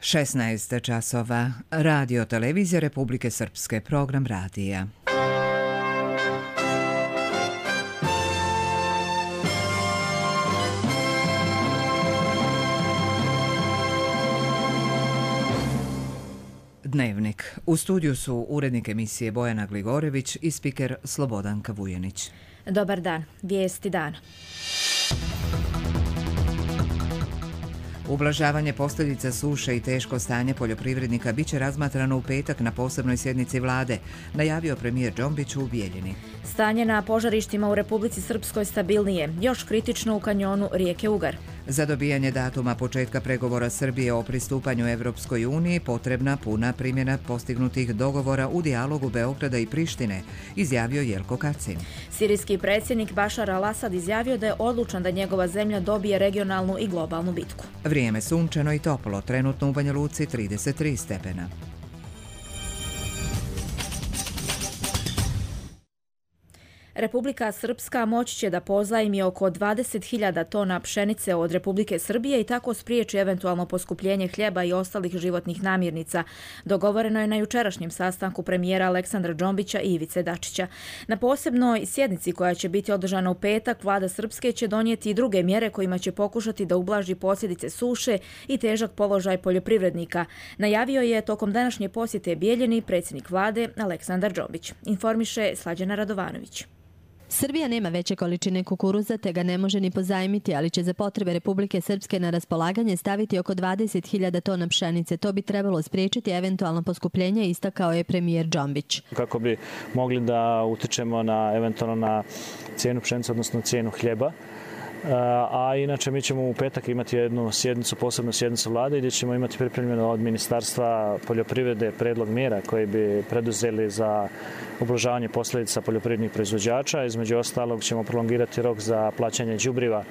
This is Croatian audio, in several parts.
16 časova. Radio televizija Republike Srpske, program radija. Dnevnik. U studiju su urednik emisije Bojana Gligorević i spiker Slobodanka Vujenić. Dobar dan. Vijesti dana. Ublažavanje posljedica suše i teško stanje poljoprivrednika biće razmatrano u petak na posebnoj sjednici vlade, najavio premijer Džombić u Bijeljini. Stanje na požarištima u Republici Srpskoj stabilnije, još kritično u kanjonu rijeke Ugar. Za dobijanje datuma početka pregovora Srbije o pristupanju Evropskoj uniji potrebna puna primjena postignutih dogovora u dijalogu Beograda i Prištine, izjavio Jelko Kacin. Sirijski predsjednik Bašar al-Asad izjavio da je odlučan da njegova zemlja dobije regionalnu i globalnu bitku. Vrijeme sunčano i toplo, trenutno u Banja Luci 33 stepena. Republika Srpska moći će da pozajmi oko 20.000 tona pšenice od Republike Srbije i tako spriječi eventualno poskupljenje hljeba i ostalih životnih namirnica. Dogovoreno je na jučerašnjem sastanku premijera Aleksandra Džombića i Ivice Dačića. Na posebnoj sjednici koja će biti održana u petak, vlada Srpske će donijeti i druge mjere kojima će pokušati da ublaži posljedice suše i težak položaj poljoprivrednika. Najavio je tokom današnje posjete Bijeljini predsjednik vlade Aleksandar Džombić. Informiše Slađana Radovanović. Srbija nema veće količine kukuruza te ga ne može ni pozajmiti, ali će za potrebe Republike Srpske na raspolaganje staviti oko 20.000 tona pšenice. To bi trebalo spriječiti eventualno poskupljenje, istakao je premijer Džombić. Kako bi mogli da utičemo eventualno na cijenu pšenice, odnosno cijenu hljeba. A inače mi ćemo u petak imati jednu sjednicu, posebnu sjednicu vlade gdje ćemo imati pripremljeno od Ministarstva poljoprivrede predlog mjera koje bi preduzeli za ublažavanje posljedica poljoprivrednih proizvođača. Između ostalog ćemo prolongirati rok za plaćanje đubriva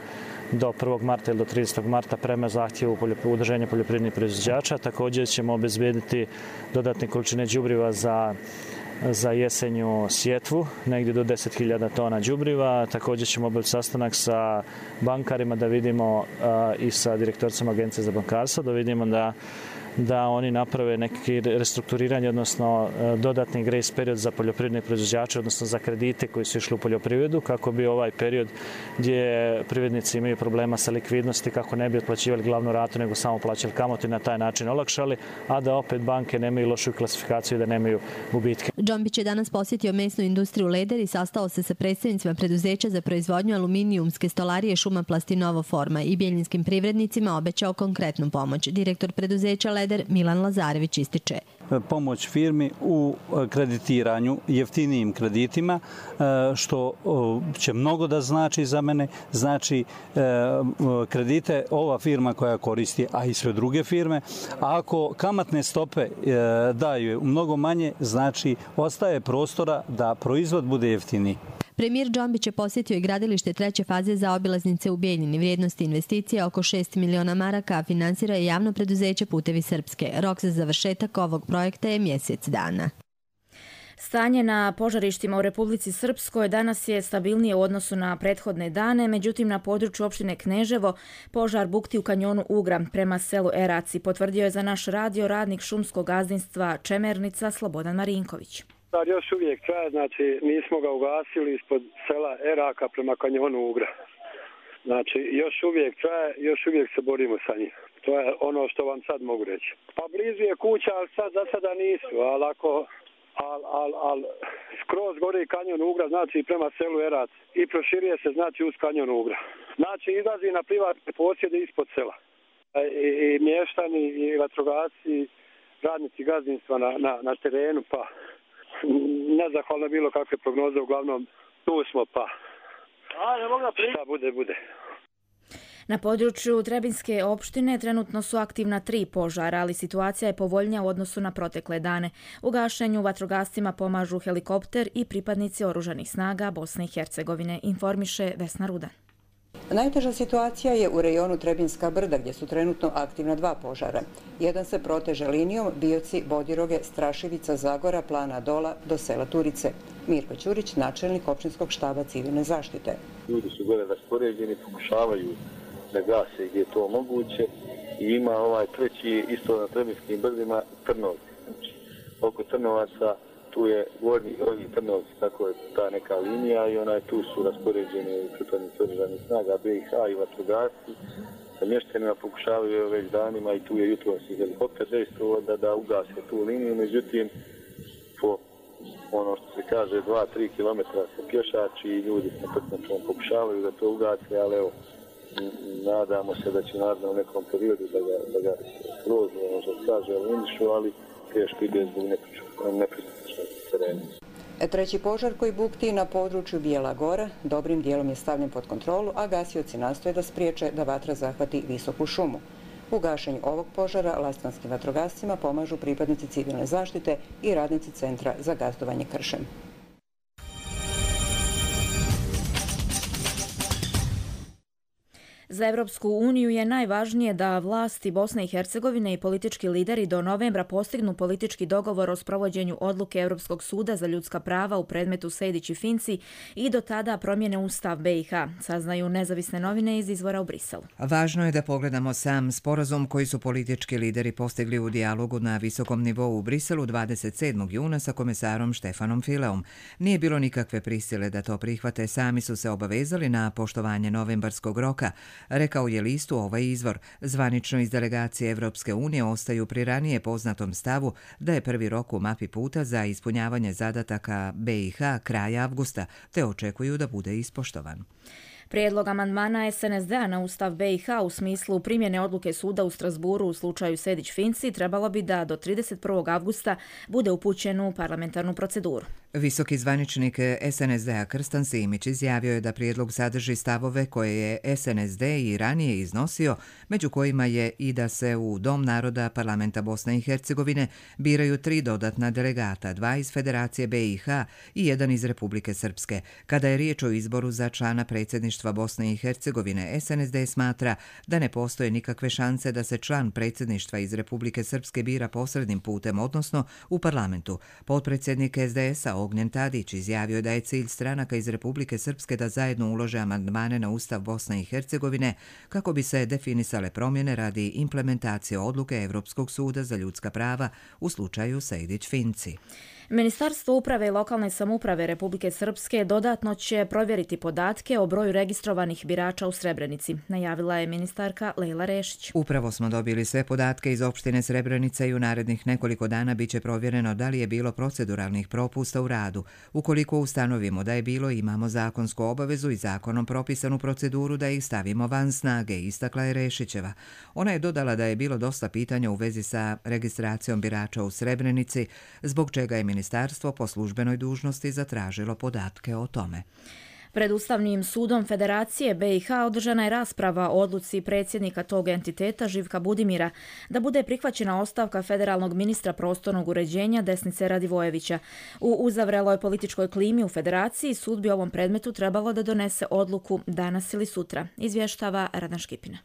do 1. marta ili do 30. marta prema zahtjevu udruženja poljoprivrednih proizvođača. Također ćemo obezbijediti dodatne količine đubriva za jesenju sjetvu, negdje do 10.000 tona đubriva. Također ćemo obaviti sastanak sa bankarima da vidimo i sa direktorcem Agencije za bankarstvo, da vidimo da oni naprave neki restrukturiranje, odnosno dodatni grace period za poljoprivredne proizvođače, odnosno za kredite koji su išli u poljoprivredu, kako bi ovaj period gdje privrednici imaju problema sa likvidnosti, kako ne bi otplaćivali glavnu ratu, nego samo plaćali kamatu i na taj način olakšali, a da opet banke nemaju lošu klasifikaciju i da nemaju gubitke. Džombić je danas posjetio mesnu industriju Leder i sastao se sa predstavnicima preduzeća za proizvodnju aluminijumske stolarije Šumaplast i Novoforma i bijeljinskim privrednicima obećao konkretnu pomoć. Direktor preduzeća Leder Milan Lazarević ističe. Pomoć firmi u kreditiranju, jeftinijim kreditima, što će mnogo da znači za mene. Znači kredite ova firma koja koristi, a i sve druge firme. A ako kamatne stope daju mnogo manje, znači ostaje prostora da proizvod bude jeftiniji. Premijer Džombić je posjetio i gradilište treće faze za obilaznice u Bijeljini. Vrijednosti investicije oko 6 miliona maraka, a finansira je javno preduzeće Putevi Srpske. Rok za završetak ovog projekta je mjesec dana. Stanje na požarištima u Republici Srpskoj danas je stabilnije u odnosu na prethodne dane, međutim na području opštine Kneževo požar bukti u kanjonu Ugra prema selu Eraci, potvrdio je za naš radio radnik šumskog gazdinstva Čemernica Slobodan Marinković. Još uvijek traje, znači nismo ga ugasili ispod sela Eraka prema kanjonu Ugra. Znači još uvijek traje, još uvijek se borimo sa njim. To je ono što vam sad mogu reći. Pa blizu je kuća, ali sad za sada nisu, ali ako skroz gori kanjon Ugra, znači prema selu Erac i proširuje se znači uz kanjon Ugra. Znači izlazi na privatne posjede ispod sela. I mještani i vatrogasci, radnici gazdinstva na terenu, pa nezahvalno bilo kakve prognoze, uglavnom tu smo, pa šta bude. Na području Trebinske opštine trenutno su aktivna 3 požara, ali situacija je povoljnija u odnosu na protekle dane. U gašenju vatrogascima pomažu helikopter i pripadnici oružanih snaga Bosne i Hercegovine, informiše Vesna Rudan. Najteža situacija je u rejonu Trebinska brda, gdje su trenutno aktivna 2 požara. Jedan se proteže linijom Bioci, Bodiroge, Strašivica, Zagora, Plana Dola do sela Turice. Mirko Ćurić, načelnik općinskog štaba civilne zaštite. Ljudi su gore raspoređeni, pokušavaju da gase gdje je to moguće I ima ovaj treći isto na Trebinskim brdima Trnovci. Znači, oko Trnovaca tu je Gornji Trnovci, tako je ta neka linija i tu su raspoređeni pripadnici oružanih snaga BiH i vatrogasci. Sa mještanima pokušavaju već danima i tu je jutros i helikopter dejstvovao da ugase tu liniju, međutim po ono što se kaže 2-3 km se pješači i ljudi sa prtnačom pokušavaju da to ugase, ali evo, nadamo se da će naravno u nekom periodu da ga skroz, ono što se kaže, eliminišu, ali teško ide zbog nepristupačnog terena. Treći požar koji bukti na području Bijela Gora dobrim dijelom je stavljen pod kontrolu, a gasioci nastoje da spriječe da vatra zahvati visoku šumu. U gašenju ovog požara lastvanskim vatrogascima pomažu pripadnici civilne zaštite i radnici Centra za gazdovanje kršem. Za Evropsku uniju je najvažnije da vlasti Bosne i Hercegovine i politički lideri do novembra postignu politički dogovor o sprovođenju odluke Europskog suda za ljudska prava u predmetu Sejdić i Finci i do tada promjene Ustav BiH, saznaju nezavisne novine iz izvora u Briselu. Važno je da pogledamo sam sporazum koji su politički lideri postigli u dijalogu na visokom nivou u Briselu 27. juna sa komesarom Štefanom Fileom. Nije bilo nikakve prisile da to prihvate, sami su se obavezali na poštovanje novembarskog roka, rekao je listu ovaj izvor. Zvanično iz delegacije Evropske unije ostaju pri ranije poznatom stavu da je prvi rok u mapi puta za ispunjavanje zadataka BiH kraj avgusta, te očekuju da bude ispoštovan. Prijedlog amandmana SNSD-a na Ustav BiH u smislu primjene odluke suda u Strasburu u slučaju Sejdić-Finci trebalo bi da do 31. avgusta bude upućen u parlamentarnu proceduru. Visoki zvaničnik SNSD-a Krstan Simić izjavio je da prijedlog sadrži stavove koje je SNSD i ranije iznosio, među kojima je i da se u Dom naroda Parlamenta Bosne i Hercegovine biraju 3 dodatna delegata, 2 iz Federacije BiH i 1 iz Republike Srpske. Kada je riječ o izboru za člana predsjedništva Bosne i Hercegovine, SNSD smatra da ne postoje nikakve šanse da se član predsjedništva iz Republike Srpske bira posrednim putem, odnosno u parlamentu. Potpredsjednik SDS-a Ognjen Tadić izjavio je da je cilj stranaka iz Republike Srpske da zajedno ulože amandmane na Ustav Bosne i Hercegovine kako bi se definisale promjene radi implementacije odluke Evropskog suda za ljudska prava u slučaju Sejdić-Finci. Ministarstvo uprave i lokalne samouprave Republike Srpske dodatno će provjeriti podatke o broju registrovanih birača u Srebrenici, najavila je ministarka Lejla Rešić. Upravo smo dobili sve podatke iz opštine Srebrenica i u narednih nekoliko dana biće provjereno da li je bilo proceduralnih propusta u radu. Ukoliko ustanovimo da je bilo, imamo zakonsku obavezu i zakonom propisanu proceduru da ih stavimo van snage, istakla je Rešićeva. Ona je dodala da je bilo dosta pitanja u vezi sa registracijom birača u Srebrenici, zbog čega je ministarstvo po službenoj dužnosti zatražilo podatke o tome. Pred Ustavnim sudom Federacije BiH održana je rasprava o odluci predsjednika tog entiteta Živka Budimira da bude prihvaćena ostavka federalnog ministra prostornog uređenja Desnice Radivojevića. U uzavreloj političkoj klimi u Federaciji sud bi ovom predmetu trebalo da donese odluku danas ili sutra, izvještava Radan Škipina.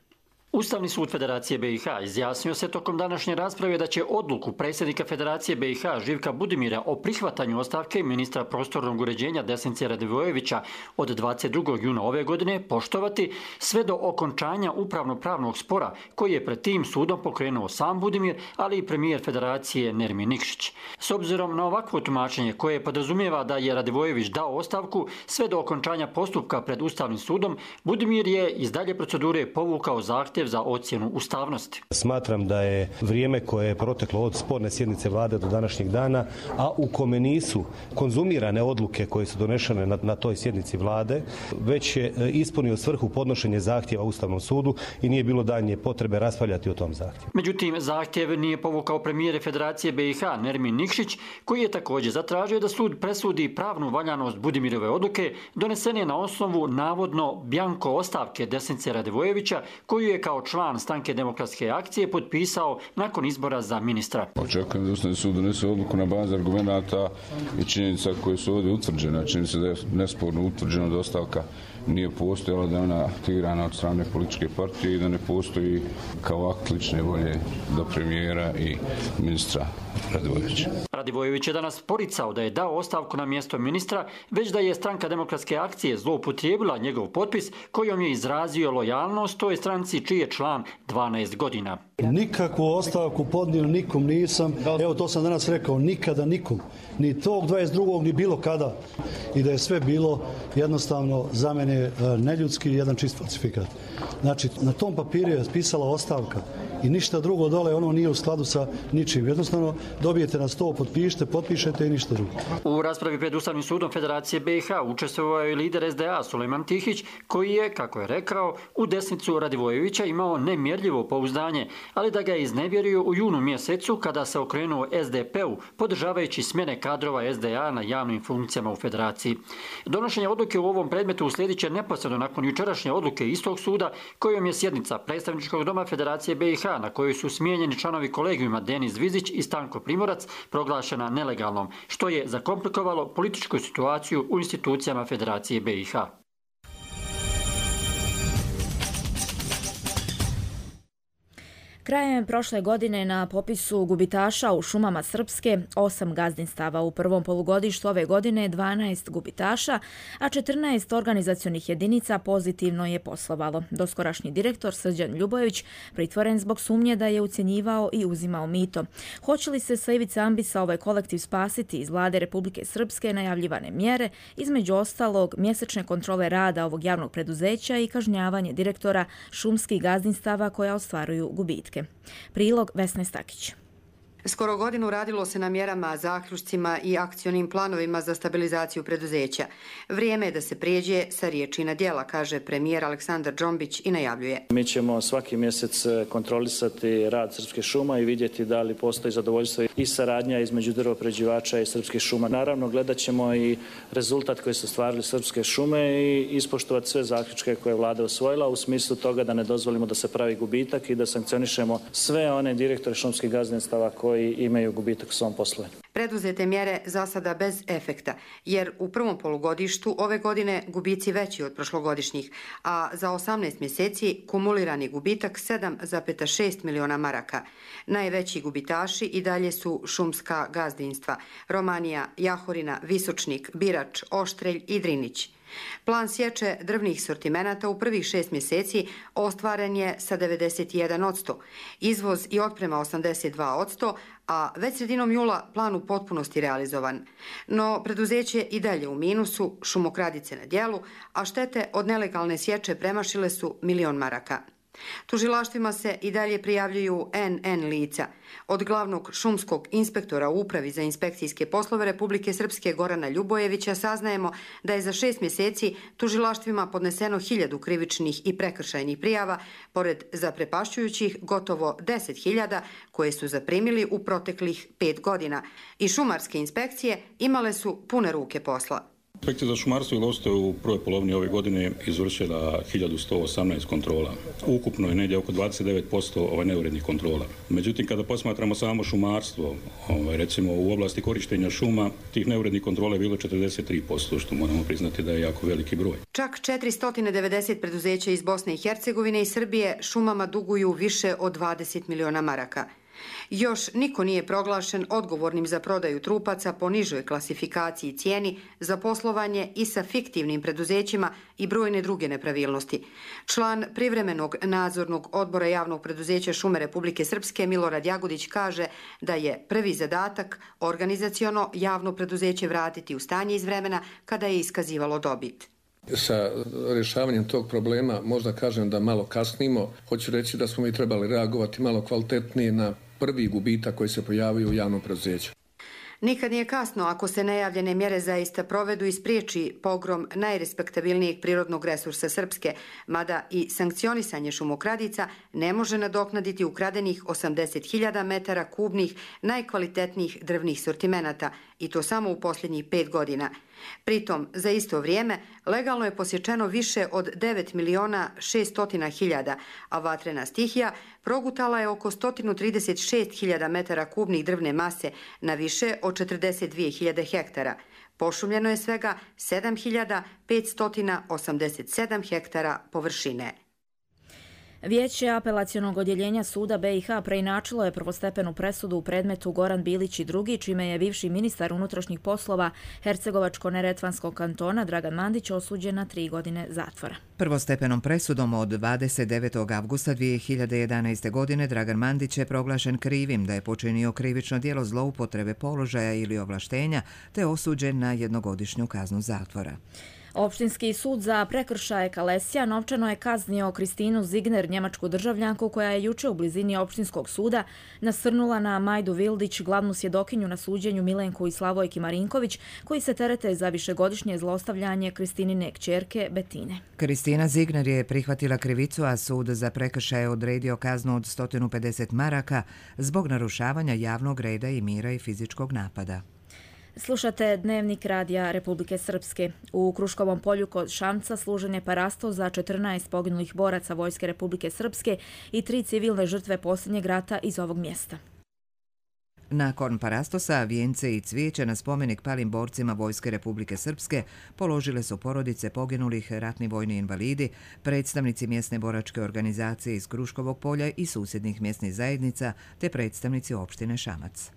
Ustavni sud Federacije BiH izjasnio se tokom današnje rasprave da će odluku predsjednika Federacije BiH Živka Budimira o prihvatanju ostavke ministra prostornog uređenja Desnice Radivojevića od 22. juna ove godine poštovati sve do okončanja upravno-pravnog spora koji je pred tim sudom pokrenuo sam Budimir, ali i premijer Federacije Nermin Nikšić. S obzirom na ovakvo tumačenje koje podrazumijeva da je Radivojević dao ostavku sve do okončanja postupka pred Ustavnim sudom, Budimir je iz dalje procedure povukao zahtjev za ocjenu ustavnosti. Smatram da je vrijeme koje je proteklo od sporne sjednice vlade do današnjeg dana, a u kome nisu konzumirane odluke koje su donešene na toj sjednici vlade, već je ispunio svrhu podnošenje zahtjeva Ustavnom sudu i nije bilo daljnje potrebe raspravljati o tom zahtjevu. Međutim, zahtjev nije povukao premijer Federacije BiH Nermin Nikšić, koji je također zatražio da sud presudi pravnu valjanost Budimirove odluke donesene na osnovu navodno bjanko ostavke Desnice Radivojevića, koju je kao član Stranke demokratske akcije potpisao nakon izbora za ministra. Očekujem da Ustavni sud donese odluku na bazi argumenata i činjenica koje su ovdje utvrđene. Čini se da je nesporno utvrđeno da ostavka nije postojala, da je ona tirana od strane političke partije i da ne postoji kao akt lične volje do premijera i ministra Radivojevića. Radivojević je danas poricao da je dao ostavku na mjesto ministra, već da je Stranka demokratske akcije zloupotrijebila njegov potpis kojom je izrazio lojalnost toj stranci čiji je član 12 godina. Nikakvu ostavku podnio nikom nisam, evo to sam danas rekao, nikada nikom, ni tog 22. ni bilo kada. I da je sve bilo jednostavno za mene neljudski, jedan čist falsifikat. Znači, na tom papiru je pisala ostavka i ništa drugo dole, ono nije u skladu sa ničim. Jednostavno dobijete na sto, potpišete i ništa drugo. U raspravi pred Ustavnim sudom Federacije BiH učestvovao je lider SDA Sulejman Tihić, koji je, kako je rekao, u desnicu Radivojevića imao nemjerljivo pouzdanje, ali da ga je iznevjerio u junu mjesecu kada se okrenuo SDP-u, podržavajući smjene kadrova SDA na javnim funkcijama u Federaciji. Donošenje odluke u ovom predmetu uslijedit će neposredno nakon jučerašnje odluke istog suda, kojom je sjednica Predstavničkog doma Federacije BiH, na kojoj su smijenjeni članovi kolegijuma Denis Vizić i Stanko Primorac, proglašena nelegalnom, što je zakomplikovalo političku situaciju u institucijama Federacije BiH. Krajem prošle godine na popisu gubitaša u šumama Srpske 8 gazdinstava, u prvom polugodištu ove godine 12 gubitaša, a 14 organizacionih jedinica pozitivno je poslovalo. Doskorašnji direktor Srđan Ljubojević pritvoren zbog sumnje da je ucjenjivao i uzimao mito. Hoće li se sa ivice ambisa ovaj kolektiv spasiti iz vlade Republike Srpske najavljivane mjere, između ostalog mjesečne kontrole rada ovog javnog preduzeća i kažnjavanje direktora šumskih gazdinstava koja ostvaruju gubitke. Prilog Vesne Stakić. Skoro godinu radilo se na mjerama, zaključcima i akcionim planovima za stabilizaciju preduzeća. Vrijeme je da se prijeđe sa riječi na djela, kaže premijer Aleksandar Džombić i najavljuje. Mi ćemo svaki mjesec kontrolisati rad Srpske šuma i vidjeti da li postoji zadovoljstvo i saradnja između drvoprerađivača i Srpskih šuma. Naravno, gledat ćemo i rezultat koji su ostvarili Srpske šume i ispoštovati sve zaključke koje je vlada osvojila u smislu toga da ne dozvolimo da se pravi gubitak i da sankcionišemo sve one direktore šumskih gazdinstava koji imaju gubitak u svom poslovanju. Preduzete mjere za sada bez efekta, jer u prvom polugodištu ove godine gubici veći od prošlogodišnjih, a za 18 mjeseci kumulirani gubitak 7,6 miliona maraka. Najveći gubitaši i dalje su šumska gazdinstva: Romanija, Jahorina, Visočnik, Birač, Oštrelj i Drinić. Plan sječe drvnih sortimenata u prvih 6 mjeseci ostvaren je sa 91%, izvoz i otprema 82%, a već sredinom jula plan u potpunosti realizovan. No, preduzeće i dalje u minusu, šumokradice na djelu, a štete od nelegalne sječe premašile su 1 milion maraka. Tužilaštvima se i dalje prijavljuju NN lica. Od glavnog šumskog inspektora u Upravi za inspekcijske poslove Republike Srpske Gorana Ljubojevića saznajemo da je za 6 mjeseci tužilaštvima podneseno 1000 krivičnih i prekršajnih prijava, pored zaprepašćujućih gotovo 10.000 koje su zaprimili u proteklih 5 godina. I šumarske inspekcije imale su pune ruke posla. Inspekcija za šumarstvo i lovstvo u prvoj polovini ove godine izvršila 1118 kontrola. Ukupno je negdje oko 29% neurednih kontrola. Međutim, kada posmatramo samo šumarstvo, recimo u oblasti korištenja šuma, tih neurednih kontrola je bilo 43%, što moramo priznati da je jako veliki broj. Čak 490 preduzeća iz Bosne i Hercegovine i Srbije šumama duguju više od 20 miliona maraka. Još niko nije proglašen odgovornim za prodaju trupaca po nižoj klasifikaciji i cijeni, za poslovanje i sa fiktivnim preduzećima i brojne druge nepravilnosti. Član privremenog nadzornog odbora javnog preduzeća Šume Republike Srpske Milorad Jagodić kaže da je prvi zadatak organizaciono javno preduzeće vratiti u stanje iz vremena kada je iskazivalo dobit. Sa rješavanjem tog problema možda kažem da malo kasnimo. Hoću reći da smo mi trebali reagovati malo kvalitetnije na prvi gubitak koji se pojavio u javnom preduzeću. Nikad nije kasno ako se najavljene mjere zaista provedu i spriječi pogrom najrespektabilnijeg prirodnog resursa Srpske, mada i sankcionisanje šumokradica ne može nadoknaditi ukradenih 80.000 metara kubnih najkvalitetnijih drvnih sortimenata, i to samo u posljednjih 5 godina. Pritom, za isto vrijeme, legalno je posječeno više od 9.600.000, a vatrena stihija progutala je oko 136.000 metara kubnih drvne mase na više od 42.000 hektara. Pošumljeno je svega 7.587 hektara površine. Vijeće apelacionog odjeljenja suda BiH preinačilo je prvostepenu presudu u predmetu Goran Bilić i drugi, čime je bivši ministar unutrašnjih poslova Hercegovačko-neretvanskog kantona Dragan Mandić osuđen na 3 godine zatvora. Prvostepenom presudom od 29. avgusta 2011. godine Dragan Mandić je proglašen krivim da je počinio krivično djelo zloupotrebe položaja ili ovlaštenja te osuđen na jednogodišnju kaznu zatvora. Opštinski sud za prekršaje Kalesija novčano je kaznio Kristinu Zigner, njemačku državljanku koja je juče u blizini opštinskog suda nasrnula na Majdu Vildić, glavnu svjedokinju na suđenju Milenku i Slavojki Marinković, koji se terete za višegodišnje zlostavljanje Kristinine kćerke Betine. Kristina Zigner je prihvatila krivicu, a sud za prekršaje odredio kaznu od 150 maraka zbog narušavanja javnog reda i mira i fizičkog napada. Slušate Dnevnik radija Republike Srpske. U Kruškovom polju kod Šamca služen je parasto za 14 poginulih boraca Vojske Republike Srpske i 3 civilne žrtve posljednjeg rata iz ovog mjesta. Nakon parastosa, vijence i cvijeće na spomenik palim borcima Vojske Republike Srpske položile su porodice poginulih, ratni vojni invalidi, predstavnici mjesne boračke organizacije iz Kruškovog polja i susjednih mjesnih zajednica, te predstavnici opštine Šamac.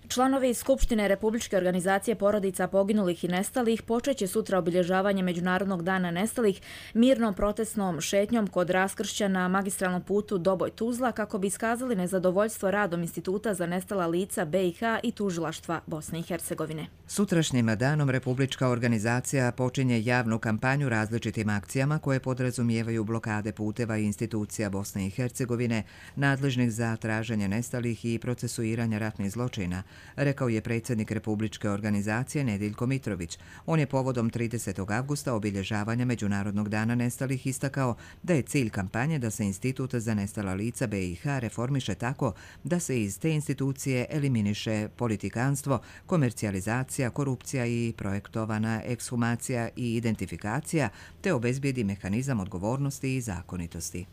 Članovi Skupštine Republičke organizacije porodica poginulih i nestalih počeće sutra obilježavanje Međunarodnog dana nestalih mirnom protestnom šetnjom kod raskršća na magistralnom putu Doboj-Tuzla kako bi iskazali nezadovoljstvo radom Instituta za nestala lica BiH i tužilaštva Bosne i Hercegovine. Sutrašnjim danom Republička organizacija počinje javnu kampanju različitim akcijama koje podrazumijevaju blokade puteva i institucija Bosne i Hercegovine nadležnih za traženje nestalih i procesuiranja ratnih zločina, rekao je predsjednik Republičke organizacije Nediljko Mitrović. On je povodom 30. avgusta obilježavanja Međunarodnog dana nestalih istakao da je cilj kampanje da se Institut za nestala lica BiH reformiše tako da se iz te institucije eliminiše politikanstvo, komercijalizacija, korupcija i projektovana ekshumacija i identifikacija, te obezbijedi mehanizam odgovornosti i zakonitosti.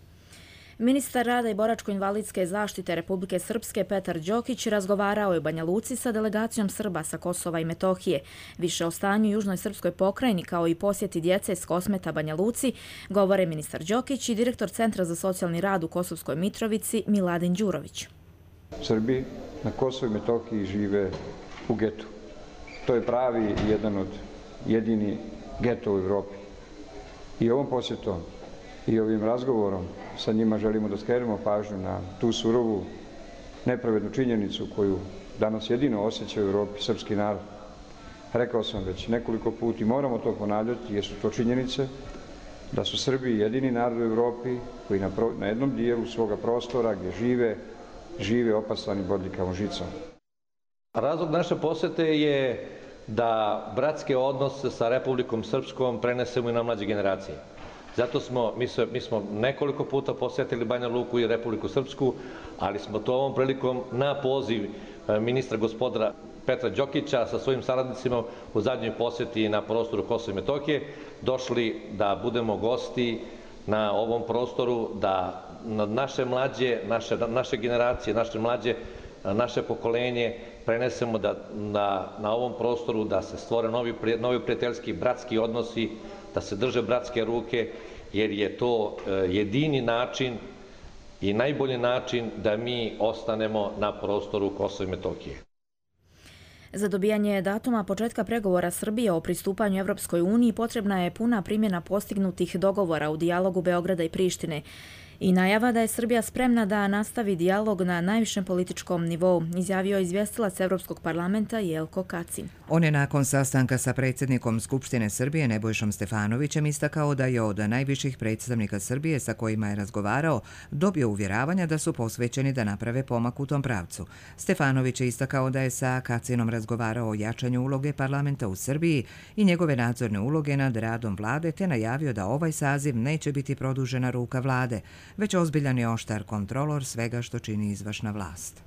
Ministar rada i boračko-invalidske zaštite Republike Srpske Petar Đokić razgovarao je u Banja Luci sa delegacijom Srba sa Kosova i Metohije. Više o stanju u južnoj srpskoj pokrajini kao i posjeti djece s Kosmeta Banja Luci govore ministar Đokić i direktor Centra za socijalni rad u Kosovskoj Mitrovici Miladin Đurović. Srbi na Kosovu i Metohiji žive u getu. To je pravi jedan od jedini geto u Evropi. I ovom posjetom i ovim razgovorom sa njima želimo da skrenemo pažnju na tu surovu, nepravednu činjenicu koju danas jedino osjeća u Evropi srpski narod. Rekao sam već nekoliko puta i moramo to ponavljati jer su to činjenice da su Srbi jedini narod u Evropi koji na jednom dijelu svoga prostora gdje žive opasani bodljikavom žicom. Razlog naše posjete je da bratske odnose sa Republikom Srpskom prenesemo i na mlađe generacije. Zato mi smo nekoliko puta posjetili Banja Luku i Republiku Srpsku, ali smo to ovom prilikom na poziv ministra gospodara Petra Đokića sa svojim saradnicima u zadnjoj posjeti na prostoru Kosova i Metohije došli da budemo gosti na ovom prostoru, da naše mlađe, naše generacije, naše mlađe, naše pokolenje prenesemo da na ovom prostoru da se stvore novi prijateljski, bratski odnosi, da se drže bratske ruke, jer je to jedini način i najbolji način da mi ostanemo na prostoru Kosova i Metohije. Za dobijanje datuma početka pregovora Srbije o pristupanju Evropskoj uniji potrebna je puna primjena postignutih dogovora u dijalogu Beograda i Prištine i najava da je Srbija spremna da nastavi dijalog na najvišem političkom nivou, izjavio je izvjestilac Evropskog parlamenta Jelko Kacin. On je nakon sastanka sa predsjednikom Skupštine Srbije Nebojšom Stefanovićem istakao da je od najviših predstavnika Srbije sa kojima je razgovarao dobio uvjeravanja da su posvećeni da naprave pomak u tom pravcu. Stefanović je istakao da je sa Kacinom razgovarao o jačanju uloge parlamenta u Srbiji i njegove nadzorne uloge nad radom vlade, te najavio da ovaj saziv neće biti produžena ruka vlade, već ozbiljan i oštar kontrolor svega što čini izvršna vlast.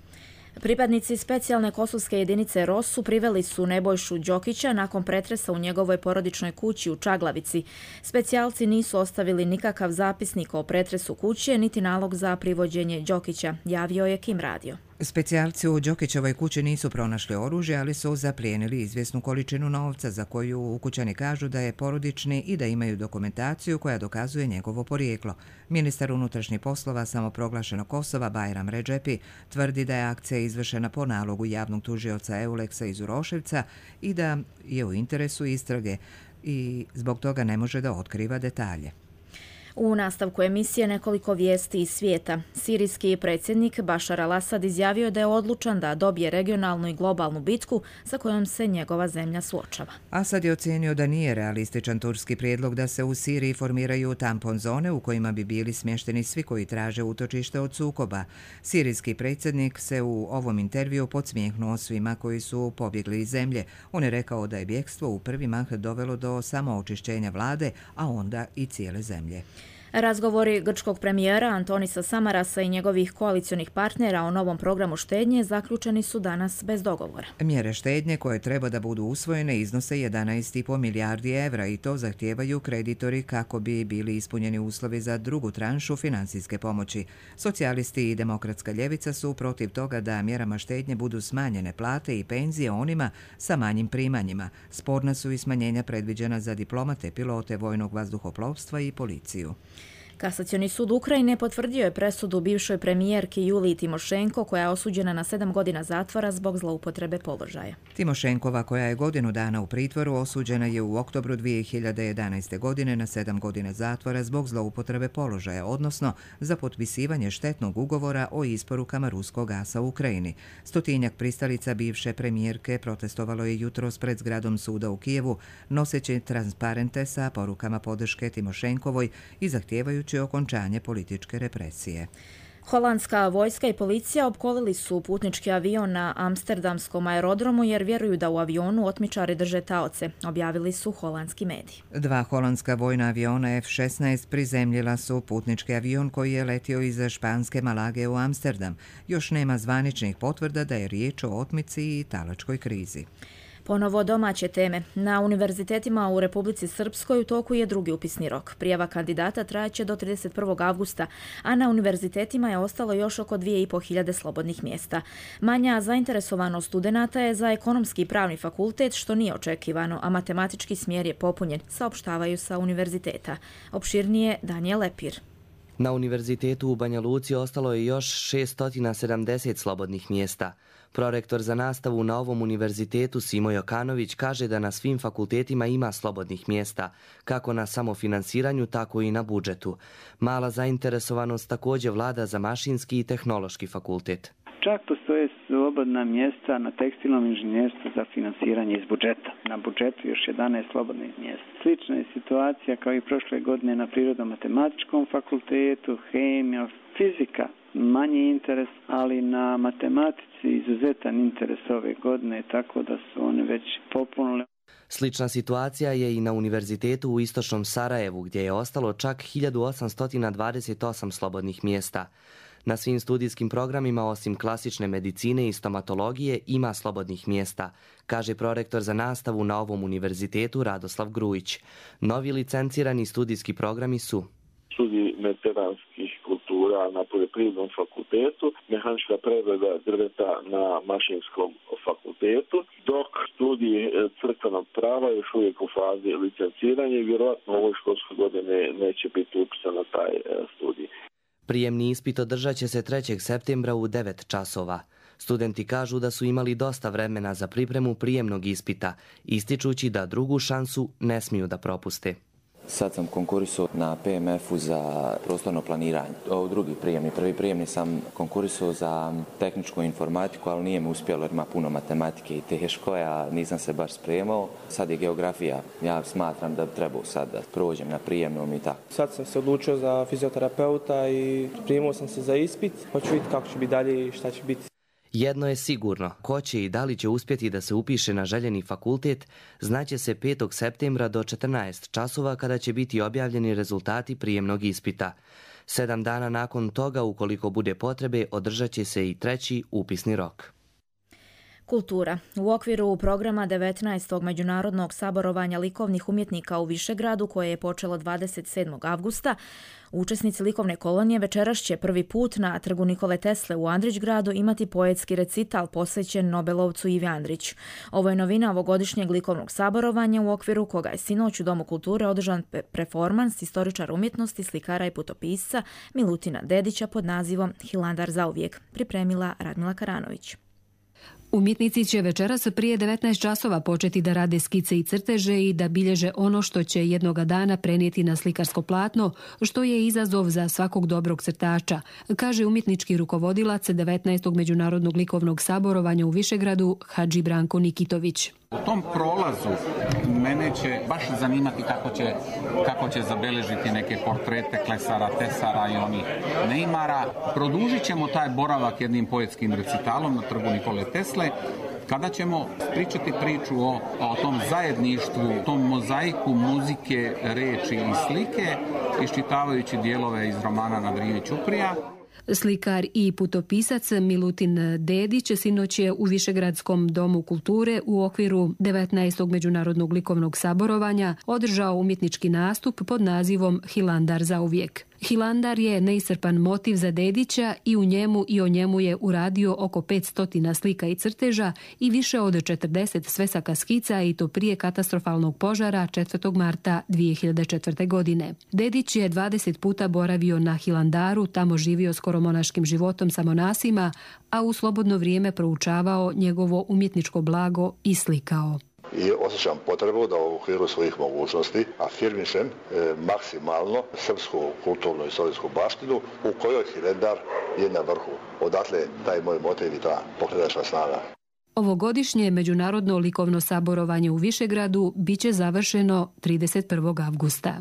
Pripadnici specijalne kosovske jedinice ROSU priveli su Nebojšu Đokića nakon pretresa u njegovoj porodičnoj kući u Čaglavici. Specijalci nisu ostavili nikakav zapisnik o pretresu kuće, niti nalog za privođenje Đokića, javio je Kim radio. Specijalci u Đokićevoj kući nisu pronašli oružje, ali su zaplijenili izvjesnu količinu novca za koju ukućani kažu da je porodični i da imaju dokumentaciju koja dokazuje njegovo porijeklo. Ministar unutrašnjih poslova samoproglašenog Kosova Bajram Redžepi tvrdi da je akcija izvršena po nalogu javnog tužioca Euleksa iz Uroševca i da je u interesu istrage i zbog toga ne može da otkriva detalje. U nastavku emisije nekoliko vijesti iz svijeta. Sirijski predsjednik Bašar al-Asad izjavio da je odlučan da dobije regionalnu i globalnu bitku sa kojom se njegova zemlja suočava. Asad je ocijenio da nije realističan turski prijedlog da se u Siriji formiraju tampon zone u kojima bi bili smješteni svi koji traže utočište od sukoba. Sirijski predsjednik se u ovom intervju podsmijehnuo svima koji su pobjegli iz zemlje. On je rekao da je bjegstvo u prvi mah dovelo do samoočišćenja vlade, a onda i cijele zemlje. Razgovori grčkog premijera Antonisa Samarasa i njegovih koalicionih partnera o novom programu štednje zaključeni su danas bez dogovora. Mjere štednje koje treba da budu usvojene iznose 11,5 milijardi evra i to zahtijevaju kreditori kako bi bili ispunjeni uslovi za drugu tranšu financijske pomoći. Socijalisti i demokratska ljevica su protiv toga da mjerama štednje budu smanjene plate i penzije onima sa manjim primanjima. Sporna su i smanjenja predviđena za diplomate, pilote vojnog vazduhoplovstva i policiju. Kasacioni sud Ukrajine potvrdio je presudu bivšoj premijerki Juliji Timošenko, koja je osuđena na 7 godina zatvora zbog zloupotrebe položaja. Timošenkova, koja je godinu dana u pritvoru, osuđena je u oktobru 2011. godine na 7 godina zatvora zbog zloupotrebe položaja, odnosno za potpisivanje štetnog ugovora o isporukama ruskog gasa u Ukrajini. Stotinjak pristalica bivše premijerke protestovalo je jutros pred zgradom suda u Kijevu, noseći transparente sa porukama podrške Timošenkovoj i zahtijevajući okončanje političke represije. Holandska vojska i policija opkolili su putnički avion na amsterdamskom aerodromu jer vjeruju da u avionu otmičari drže taoce, objavili su holandski mediji. 2 holandska vojna aviona F-16 prizemljila su putnički avion koji je letio iz španske Malage u Amsterdam. Još nema zvaničnih potvrda da je riječ o otmici i talačkoj krizi. Ponovo domaće teme. Na univerzitetima u Republici Srpskoj u toku je drugi upisni rok. Prijava kandidata trajaće do 31. avgusta, a na univerzitetima je ostalo još oko 2.500 slobodnih mjesta. Manja zainteresovanost studenata je za ekonomski i pravni fakultet, što nije očekivano, a matematički smjer je popunjen, saopštavaju sa univerziteta. Opširnije Danijel Lepir. Na univerzitetu u Banja Luci ostalo je još 670 slobodnih mjesta. Prorektor za nastavu na ovom univerzitetu Simo Jokanović kaže da na svim fakultetima ima slobodnih mjesta, kako na samofinansiranju, tako i na budžetu. Mala zainteresovanost također vlada za mašinski i tehnološki fakultet. Čak postoje slobodna mjesta na tekstilnom inženjerstvu za finansiranje iz budžeta. Na budžetu još 11 slobodnih mjesta. Slična je situacija kao i prošle godine na prirodno-matematičkom fakultetu, hemija, fizika. Manji interes, ali na matematici izuzetan interes ove godine, tako da su oni već popunili. Slična situacija je i na univerzitetu u istočnom Sarajevu, gdje je ostalo čak 1828 slobodnih mjesta. Na svim studijskim programima, osim klasične medicine i stomatologije, ima slobodnih mjesta, kaže prorektor za nastavu na ovom univerzitetu Radoslav Grujić. Novi licencirani studijski programi su studij mediteranskih kultura na poljoprivrednom fakultetu, mehanička prevreda drveta na mašinskom fakultetu, dok studij crkvenog prava još uvijek u fazi licenciranja i vjerojatno u ovoj školskoj godine neće biti upisan na taj studij. Prijemni ispit održat će se 3. septembra u 9 časova. Studenti kažu da su imali dosta vremena za pripremu prijemnog ispita, ističući da drugu šansu ne smiju da propuste. Sad sam konkurisao na PMF-u za prostorno planiranje. Ovo drugi prijemni. Prvi prijemni sam konkurisao za tehničku informatiku, ali nije mi uspjelo jer ima puno matematike i teško, a nisam se baš spremao. Sad je geografija. Ja smatram da bi trebao sad da prođem na prijemnom i tako. Sad sam se odlučio za fizioterapeuta i primao sam se za ispit. Hoću vidjeti kako će biti dalje i šta će biti. Jedno je sigurno, ko će i da li će uspjeti da se upiše na željeni fakultet, znaće se 5. septembra do 14 časova kada će biti objavljeni rezultati prijemnog ispita. 7 dana nakon toga, ukoliko bude potrebe, održat će se i 3. upisni rok. Kultura. U okviru programa 19. međunarodnog saborovanja likovnih umjetnika u Višegradu, koje je počelo 27. avgusta, učesnici likovne kolonije večeras će prvi put na trgu Nikole Tesle u Andrićgradu imati poetski recital posvećen Nobelovcu Ivi Andrić. Ovo je novina ovogodišnjeg likovnog saborovanja u okviru koga je sinoć u Domu kulture održan performans istoričara umjetnosti, slikara i putopisca Milutina Dedića pod nazivom Hilandar zauvijek, pripremila Radmila Karanović. Umjetnici će večeras prije 19 časova početi da rade skice i crteže i da bilježe ono što će jednoga dana prenijeti na slikarsko platno, što je izazov za svakog dobrog crtača, kaže umjetnički rukovodilac 19. međunarodnog likovnog saborovanja u Višegradu Hadži Branko Nikitović. U tom prolazu mene će baš zanimati kako će zabeležiti neke portrete klesara, tesara i onih neimara. Produžit ćemo taj boravak jednim poetskim recitalom na trgu Nikole Tesle, kada ćemo pričati priču o tom zajedništvu, tom mozaiku muzike, reči i slike, iščitavajući dijelove iz romana Na Drini Ćuprija. Slikar i putopisac Milutin Dedić sinoć je u Višegradskom domu kulture u okviru 19. međunarodnog likovnog saborovanja održao umjetnički nastup pod nazivom Hilandar zauvijek. Hilandar je neiscrpan motiv za Dedića i u njemu i o njemu je uradio oko 500 slika i crteža i više od 40 svesaka skica, i to prije katastrofalnog požara 4. marta 2004. godine. Dedić je 20 puta boravio na Hilandaru, tamo živio skoro monaškim životom sa monasima, a u slobodno vrijeme proučavao njegovo umjetničko blago i slikao. I osjećam potrebu da u okviru svojih mogućnosti afirmišem maksimalno srpsku kulturnu i istorijsku baštinu u kojoj Hilandar je na vrhu. Odatle taj moj motiv i ta pokretačka snaga. Ovogodišnje međunarodno likovno saborovanje u Višegradu biće završeno 31. avgusta.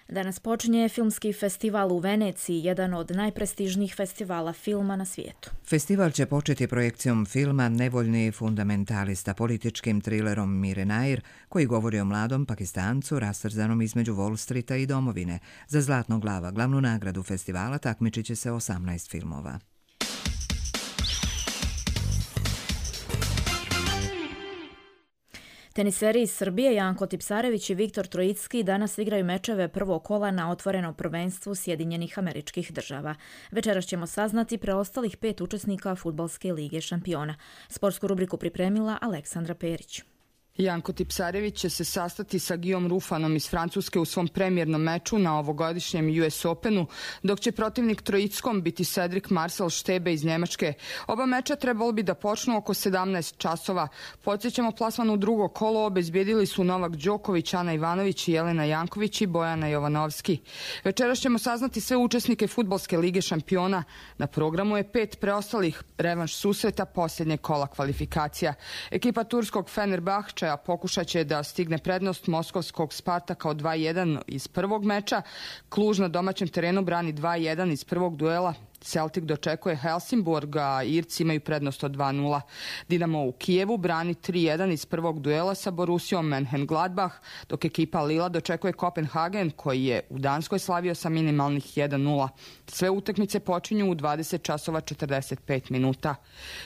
Danas počinje filmski festival u Veneciji, jedan od najprestižnijih festivala filma na svijetu. Festival će početi projekcijom filma Nevoljni fundamentalista, političkim trilerom Mire Nair, koji govori o mladom Pakistancu rastrzanom između Wall Streeta i domovine. Za Zlatnog lava, glavnu nagradu festivala, takmičit će se 18 filmova. Teniseri iz Srbije Janko Tipsarević i Viktor Trojicki danas igraju mečeve prvog kola na otvorenom prvenstvu Sjedinjenih Američkih Država. Večeras ćemo saznati preostalih 5 učesnika Fudbalske lige šampiona. Sportsku rubriku pripremila Aleksandra Perić. Janko Tipsarević će se sastati sa Guillaume Rufanom iz Francuske u svom premijernom meču na ovogodišnjem US Openu, dok će protivnik Trojickom biti Cedric Marcel Štebe iz Njemačke. Oba meča trebalo bi da počnu oko 17 časova. Podsjećamo, plasman u drugo kolo obezbijedili su Novak Đoković, Ana Ivanović, Jelena Janković i Bojana Jovanovski. Večeras ćemo saznati sve učesnike Fudbalske lige šampiona. Na programu je 5 preostalih revanš susreta posljednjeg kola kvalifikacija. Ekipa turskog Fenerbahče pokušat će da stigne prednost moskovskog Spartaka od 2-1 iz prvog meča. Kluž na domaćem terenu brani 2-1 iz prvog duela. Celtic dočekuje Helsingborg, a Irci imaju prednost od 2-0. Dinamo u Kijevu brani 3-1 iz prvog duela sa Borussijom Mönchengladbach, dok ekipa Lila dočekuje Kopenhagen, koji je u Danskoj slavio sa minimalnih 1-0. Sve utakmice počinju u 20 časova 45 minuta.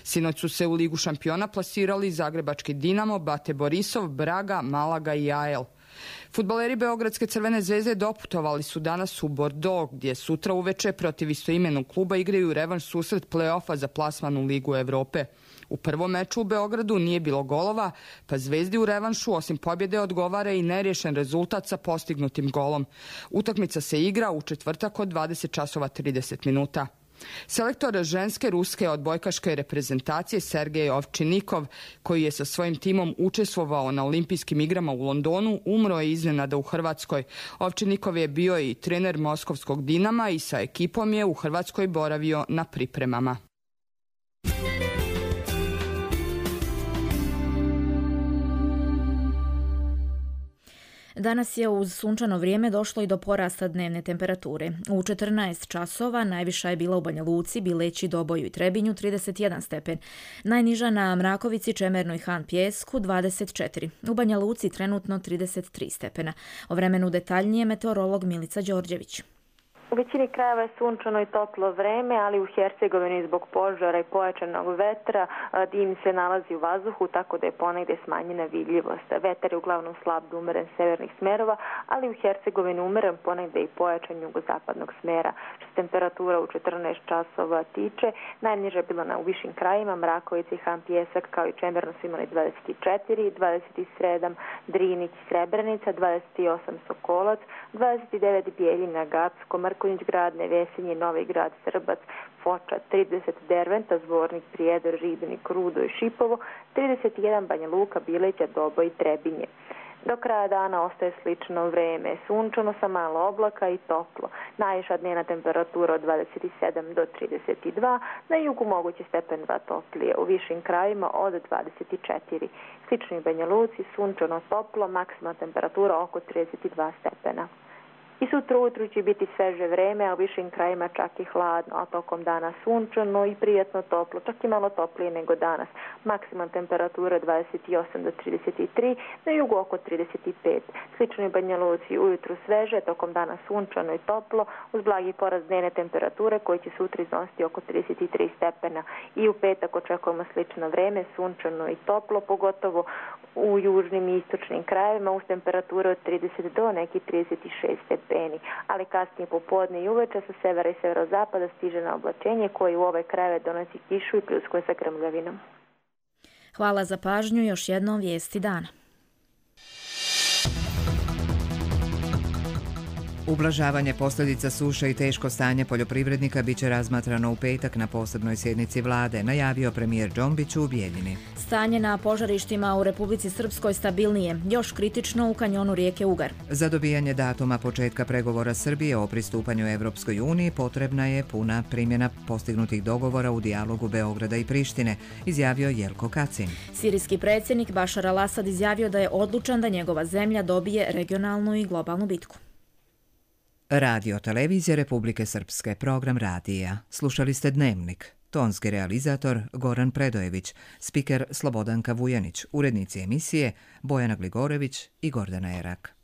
Sinoć su se u Ligu šampiona plasirali zagrebački Dinamo, Bate Borisov, Braga, Malaga i AEL. Fudbaleri Beogradske Crvene zvezde doputovali su danas u Bordeaux, gdje sutra uveče protiv istoimenog kluba igraju revanš susret play-offa za plasman u Ligu Evrope. U prvom meču u Beogradu nije bilo golova, pa Zvezdi u revanšu osim pobjede odgovara i neriješen rezultat sa postignutim golom. Utakmica se igra u četvrtak od 20 časova 30 minuta. Selektor ženske ruske odbojkaške reprezentacije Sergej Ovčinikov, koji je sa svojim timom učestvovao na olimpijskim igrama u Londonu, umro je iznenada u Hrvatskoj. Ovčinikov je bio i trener moskovskog Dinama i sa ekipom je u Hrvatskoj boravio na pripremama. Danas je uz sunčano vrijeme došlo i do porasta dnevne temperature. U 14 časova najviša je bila u Banja Luci, Bileći, Doboju i Trebinju 31 stepen. Najniža na Mrakovici, Čemernu i Han Pjesku 24. U Banja Luci trenutno 33 stepena. O vremenu detaljnije meteorolog Milica Đorđević. većini krajeva je sunčano i toplo vreme, ali u Hercegovini zbog požara i pojačanog vetra dim se nalazi u vazduhu, tako da je ponegde smanjena vidljivost. Vetar je uglavnom slab do umeren severnih smerova, ali u Hercegovini umeren ponegde i pojačan jugozapadnog smera. Što se temperatura u 14 časova tiče, najniža je bila u višim krajima, Mrakovica i Han Pjesak kao i Čemerno su imali 24, 27 Drinić i Srebrenica, 28 Sokolac, 29 Bijeljina, Gacko, Mrkonjić grad, Nevesinje, Novi grad, Srbac, Foča, 30 Derventa, Zvornik, Prijedor, Ribnik, Rudo i Šipovo, 31 Banja Luka, Bileća, Dobo i Trebinje. Do kraja dana ostaje slično vreme, sunčano sa malo oblaka i toplo. Najviša dnevna temperatura od 27 do 32, na jugu moguće stepen 2 toplije, u višim krajima od 24. Slično i Banja Luci, sunčano toplo, maksimalna temperatura oko 32 stepena. I sutra ujutru će biti sveže vreme, a u višim krajima čak i hladno, a tokom dana sunčano i prijatno toplo, čak i malo toplije nego danas. Maksimalna temperatura 28 do 33, na jugu oko 35. Slično i Banja Luci, ujutru sveže, tokom dana sunčano i toplo, uz blagi porast dnevne temperature koji će sutra iznositi oko 33 stepena. I u petak očekujemo slično vreme, sunčano i toplo, pogotovo u južnim i istočnim krajevima, uz temperature od 30 do nekih 36 stepeni. Ali kasnije popodne i uveče sa severa i severozapada stiže na oblačenje koje u ove krajeve donosi kišu i pljuskuje sa grmljavinom. Hvala za pažnju, još jednom vijesti dana. Ublažavanje posljedica suše i teško stanje poljoprivrednika biće razmatrano u petak na posebnoj sjednici vlade, najavio premijer Džombić u Bijeljini. Stanje na požarištima u Republici Srpskoj stabilnije, još kritično u kanjonu rijeke Ugar. Za dobijanje datuma početka pregovora Srbije o pristupanju Evropskoj uniji potrebna je puna primjena postignutih dogovora u dijalogu Beograda i Prištine, izjavio Jelko Kacin. Sirijski predsjednik Bašar al-Asad izjavio da je odlučan da njegova zemlja dobije regionalnu i globalnu bitku. Radio Televizija Republike Srpske, program radija. Slušali ste Dnevnik. Tonski realizator Goran Predojević, spiker Slobodanka Vujanić, urednici emisije Bojana Gligorević i Gordana Erak.